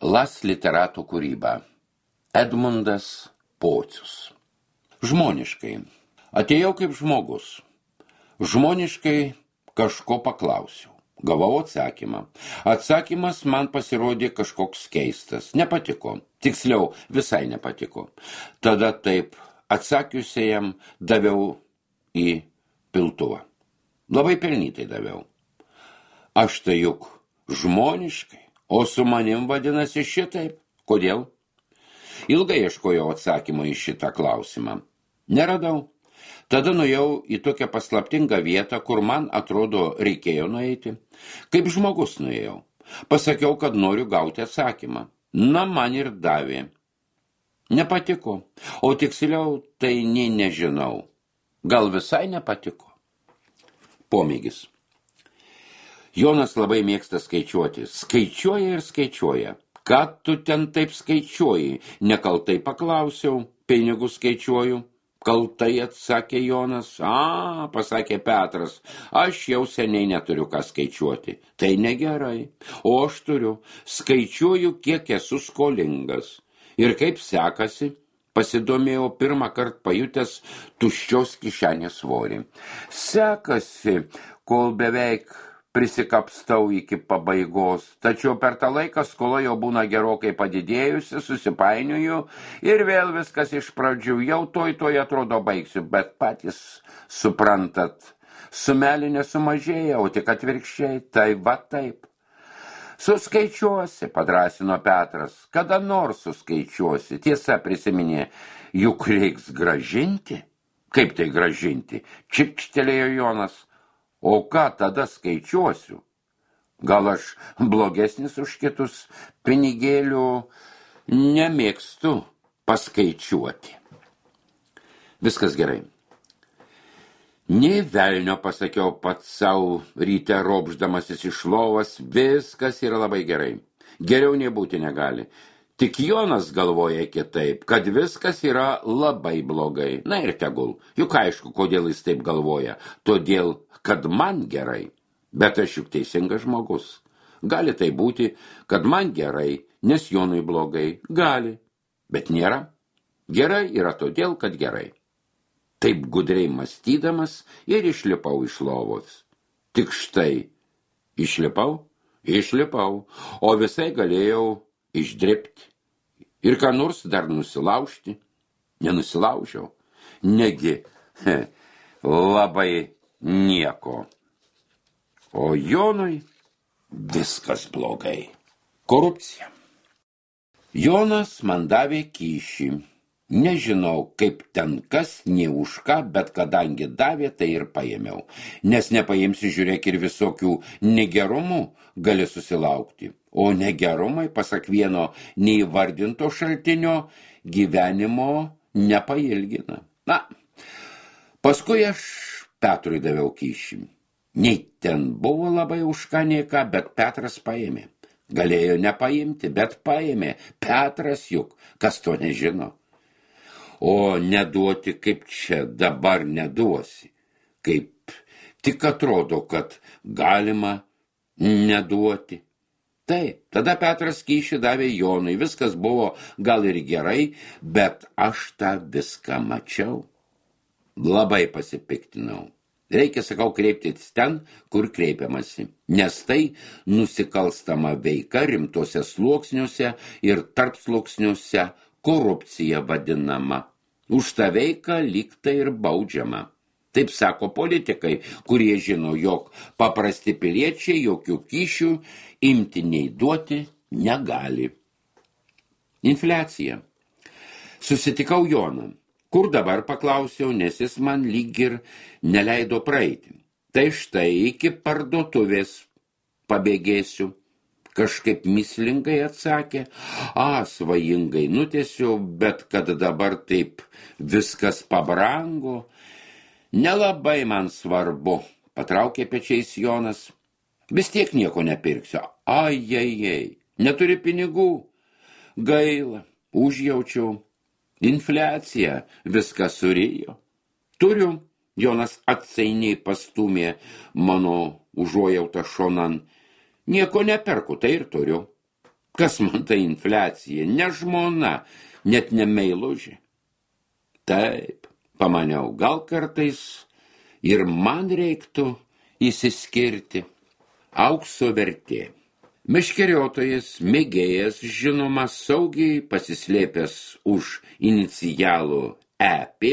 Las literatų kūryba. Edmundas Pocius. Žmoniškai. Atėjau kaip žmogus. Žmoniškai kažko paklausiau. Gavau atsakymą. Atsakymas man pasirodė kažkoks keistas. Nepatiko. Tiksliau, visai nepatiko. Tada taip atsakiusiajam daviau į piltuvą. Labai pelnytai daviau. Aš tai juk žmoniškai, o su manim vadinasi šitaip. Kodėl? Ilgai ieškojau atsakymą į šitą klausimą. Neradau. Tada nuėjau į tokią paslaptingą vietą, kur man atrodo reikėjo nueiti. Kaip žmogus nuėjau. Pasakiau, kad noriu gauti atsakymą. Na, man ir davė. Nepatiko. O tiksliau, tai nežinau. Gal visai nepatiko. Pomėgis. Jonas labai mėgsta skaičiuoti. Skaičiuoja ir skaičiuoja. Ką tu ten taip skaičiuoji? Nekaltai paklausiau. Pinigus skaičiuoju. Kaltai atsakė Jonas. Pasakė Petras. Aš jau seniai neturiu ką skaičiuoti. Tai negerai. O aš turiu. Skaičiuoju, kiek esu skolingas. Ir kaip sekasi? Pasidomėjau pirmą kartą pajutęs tuščios kišenės svorį. Sekasi, kol beveik prisikapstau iki pabaigos, tačiau per tą laiką skola jau būna gerokai padidėjusi, susipainioju ir vėl viskas iš pradžių, jau toj atrodo baigsiu, bet patys suprantat, sumelė nesumažėja, o tik atvirkščiai, tai va taip. Suskaičiuosi, padrąsino Petras, kada nors suskaičiuosi, tiesa prisiminė, juk reiks gražinti. Kaip tai gražinti? Čikštelėjo Jonas. O ką tada skaičiuosiu? Gal aš blogesnis už kitus pinigėlių nemėgstu paskaičiuoti. Viskas gerai. Nei velnio, pasakiau pats savo ryte ropšdamasis iš lovas, viskas yra labai gerai. Geriau nebūti negali. Tik Jonas galvoja kitaip, kad viskas yra labai blogai. Na ir tegul. Juk aišku, kodėl jis taip galvoja. Todėl, kad man gerai. Bet aš juk teisingas žmogus. Gali tai būti, kad man gerai, nes Jonui blogai. Gali. Bet nėra. Gerai yra todėl, kad gerai. Taip gudriai mąstydamas ir išlipau iš lovos. Tik štai. Išlipau, o visai galėjau išdrepti ir ką nors dar nusilaužti. Nenusilaužiau. Negi, labai nieko. O Jonui viskas blogai. Korupcija. Jonas man davė kyšį. Nežinau, kaip ten kas, nei už ką, bet kadangi davė, tai ir paėmiau. Nes nepaimsi, žiūrėk, ir visokių negerumų gali susilaukti. O negerumai, pasak vieno neįvardinto šaltinio, gyvenimo nepailgina. Na, paskui aš Petrui daviau kyšį. Nei ten buvo labai už ką, nei ką, bet Petras paėmė. Galėjo nepaimti, bet paėmė. Petras juk, kas to nežino. O neduoti kaip čia dabar neduosi. Kaip tik atrodo, kad galima neduoti. Taip, tada Petras kyšį davė Jonui. Viskas buvo gal ir gerai, bet aš tą viską mačiau. Labai pasipiktinau. Reikia, sakau, kreiptis ten, kur kreipiamasi. Nes tai nusikalstama veika rimtuose sluoksniuose ir tarpsluoksniuose korupcija vadinama. Už tą veiką lyg tai ir baudžiama. Taip sako politikai, kurie žino, jog paprasti piliečiai jokių kyšių imti nei duoti negali. Infliacija. Susitikau Joną. Kur dabar, paklausiau, nes jis man lyg ir neleido praeiti. Tai štai iki parduotuvės pabėgėsiu. Kažkaip mįslingai atsakė. Svajingai nutiesiu, bet kad dabar taip viskas pabrango. Nelabai man svarbu, patraukė pečiais Jonas. Vis tiek nieko nepirksiu. Ajajai, neturi pinigų. Gaila, užjaučiau. Infliacija viską surijo. Turiu. Jonas atsainiai pastumė mano užuojautą šonan. Nieko neperku, tai ir turiu. Kas man tai infliacija? Ne žmona, net ne meilužė. Taip, pamaniau, gal kartais ir man reiktų įsiskirti. Aukso vertė. Meškeriotojas, mėgėjas, žinoma, saugiai pasislėpęs už inicialų EP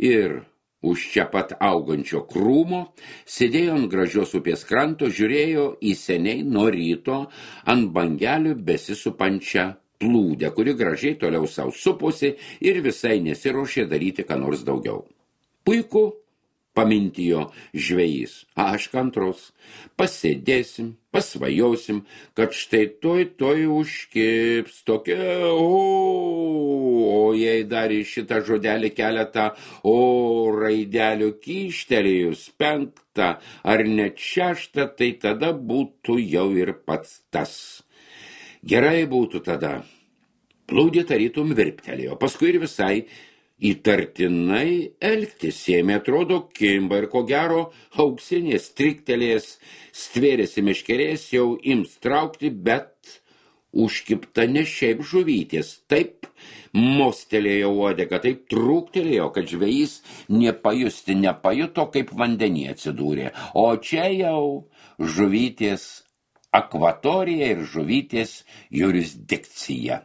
ir už čia pat augančio krūmo, sėdėjo ant gražios upės kranto, žiūrėjo į seniai nuo ryto ant bangelių besisupančią plūdę, kuri gražiai toliau savo suposi ir visai nesiruošė daryti ką nors daugiau. Puiku, pamintijo žvejys, aš kantrus, pasėdėsim, pasvajosim, kad štai toj užkips tokia, o jei dar į šitą žodelį keletą, o raidelių kyštelėjus 5 ar net 6, tai tada būtų jau ir pats tas. Gerai būtų tada. Plūdė tarytum virptelėjo, paskui ir visai įtartinai elgtis ėmė, atrodo, kimba ir ko gero auksinės striktelės stvėrėsi meškerės, jau ims traukti, bet užkipta ne šiaip žuvytės. Taip mostelėjo uodegą, taip trūktelėjo, kad žvejys nepajuto, kaip vandenyje atsidūrė. O čia jau žuvytės akvatorija ir žuvytės jurisdikcija.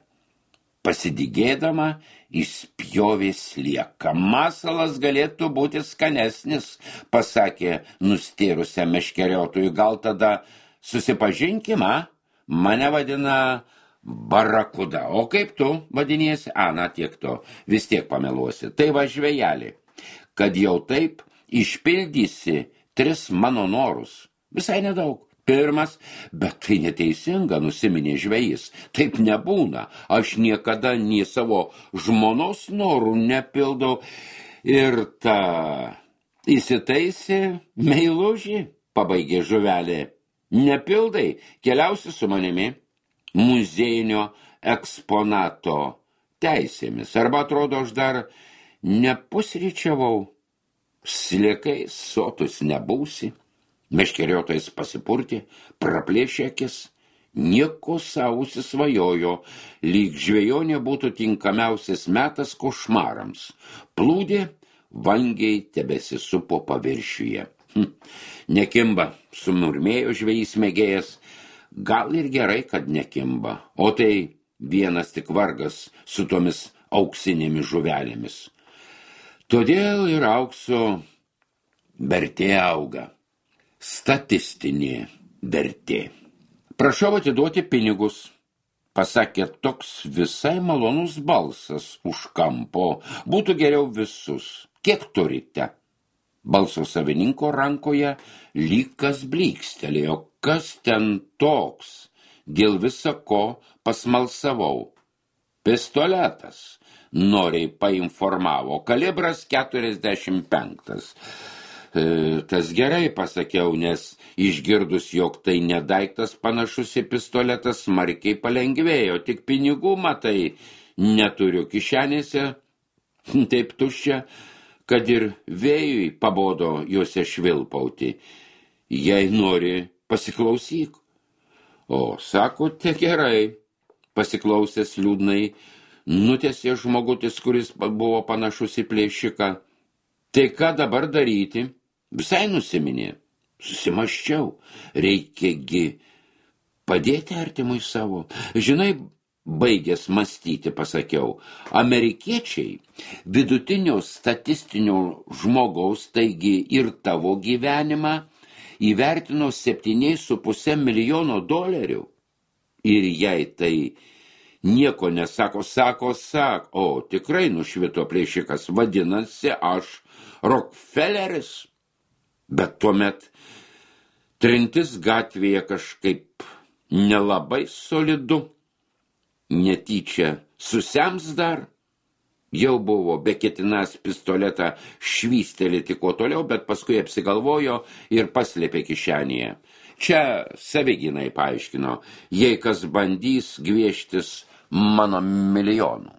Pasidygėdama, išspjovė slieką. Masalas galėtų būti skanesnis, pasakė nustėrusią meškeriotojų. Gal tada susipažinkim, mane vadina barakuda. O kaip tu vadiniesi? Na, tiek to, vis tiek pameluosi. Tai va žvejelį, kad jau taip išpildysi 3 mano norus. Visai nedaug. 1, bet tai neteisinga, nusiminė žvejys. Taip nebūna. Aš niekada nei savo žmonos norų nepildau. Ir ta įsitaisė meilužį, pabaigė žuvelė. Nepildai, keliausi su manimi muziejinio eksponato teisėmis. Arba atrodo, aš dar nepusryčiavau. Sliekai sotus nebūsi. Meškeriotojas pasipurtė, praplėšė akis, nieko savo užsisvajojo, lyg žvejonė būtų tinkamiausias metas košmarams. Plūdė vangiai tebesisupo paviršiuje. Nekimba, sumurmėjo žvejys mėgėjas, gal ir gerai, kad nekimba, o tai vienas tik vargas su tomis auksinėmis žuvelėmis. Todėl ir aukso vertė auga. Statistinė vertė. Prašau atiduoti pinigus, pasakė toks visai malonus balsas už kampo. Būtų geriau visus. Kiek turite? Balso savininko rankoje lyg kas blykstelėjo. Kas ten toks? Dėl visa ko pasmalsavau. Pistoletas, noriai painformavo. Kalibras 45. Tas gerai, pasakiau, nes išgirdus, jog tai nedaiktas panašus į pistoletą, smarkiai palengvėjo. Tik pinigų, matai, neturiu kišenėse, taip tuščia, kad ir vėjui pabodo juose švilpauti. Jei nori, pasiklausyk. O, sakote, gerai, pasiklausęs liūdnai, nutęsė žmogutis, kuris buvo panašus į plėšiką. Tai ką dabar daryti? Visai nusiminė. Susimaščiau. Reikiagi padėti artimui savo. Žinai, baigęs mąstyti, pasakiau, amerikiečiai vidutinio statistinio žmogaus, taigi ir tavo gyvenimą, įvertino $7,5 milijono. Ir jei tai nieko nesako, sako, o tikrai nušvito plėšikas, vadinasi, aš Rockefelleris. Bet tuomet trintis gatvėje kažkaip nelabai solidu, netyčia susems dar. Jau buvo beketinas pistoletą švystelėti kuo toliau, bet paskui apsigalvojo ir paslėpė kišenėje. Čia savigynai paaiškino, jei kas bandys gvieštis mano milijonų.